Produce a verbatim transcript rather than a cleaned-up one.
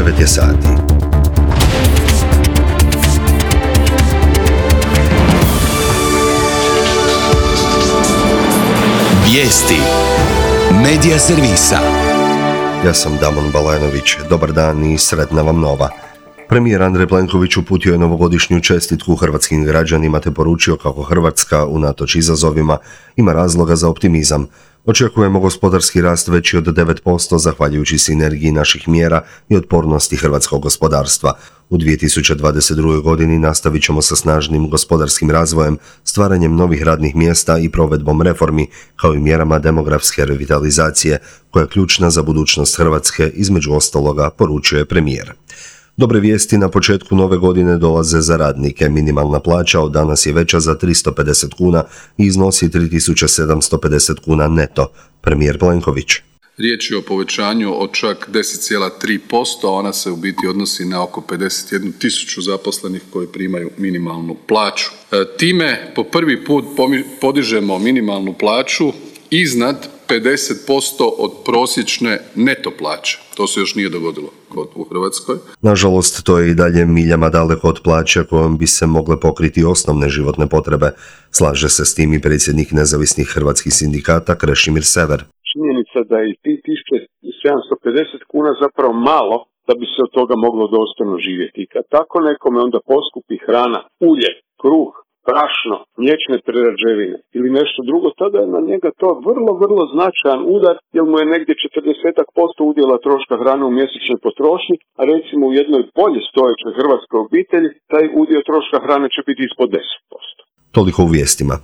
devet je sati. Vijesti Medija servisa. Ja sam Damon Balajnović. Dobar dan i sretna vam nova. Premijer Andrej Plenković uputio je novogodišnju čestitku hrvatskim građanima te poručio kako Hrvatska, unatoč izazovima, ima razloga za optimizam. Očekujemo gospodarski rast veći od devet posto zahvaljujući sinergiji naših mjera i otpornosti hrvatskog gospodarstva. U dvije tisuće dvadeset druge. godini nastavit ćemo sa snažnim gospodarskim razvojem, stvaranjem novih radnih mjesta i provedbom reformi, kao i mjerama demografske revitalizacije, koja je ključna za budućnost Hrvatske, između ostaloga, poručuje premijer. Dobre vijesti na početku nove godine dolaze za radnike. Minimalna plaća od danas je veća za tristo pedeset kuna i iznosi tri tisuće sedamsto pedeset kuna neto. Premijer Plenković. Riječ je o povećanju od čak deset zarez tri posto, a ona se u biti odnosi na oko pedeset jednu tisuću zaposlenih koji primaju minimalnu plaću. Time po prvi put podižemo minimalnu plaću iznad pedeset posto od prosječne neto plaće. To se još nije dogodilo kod u Hrvatskoj. Nažalost, to je i dalje miljama daleko od plaće kojom bi se mogle pokriti osnovne životne potrebe. Slaže se s tim i predsjednik nezavisnih hrvatskih sindikata Krešimir Sever. Činjenica da je tri tisuće sedamsto pedeset kuna zapravo malo da bi se od toga moglo dostojno živjeti. I kad tako nekome onda poskupi hrana, ulje, kruh, brašno, mliječne prerađevine ili nešto drugo, tada je na njega to vrlo, vrlo značajan udar, jer mu je negdje četrdeset posto udjela troška hrane u mjesečnoj potrošnji, a recimo u jednoj bolje stojećoj hrvatskoj obitelji taj udio troška hrane će biti ispod deset posto. Toliko u vijestima.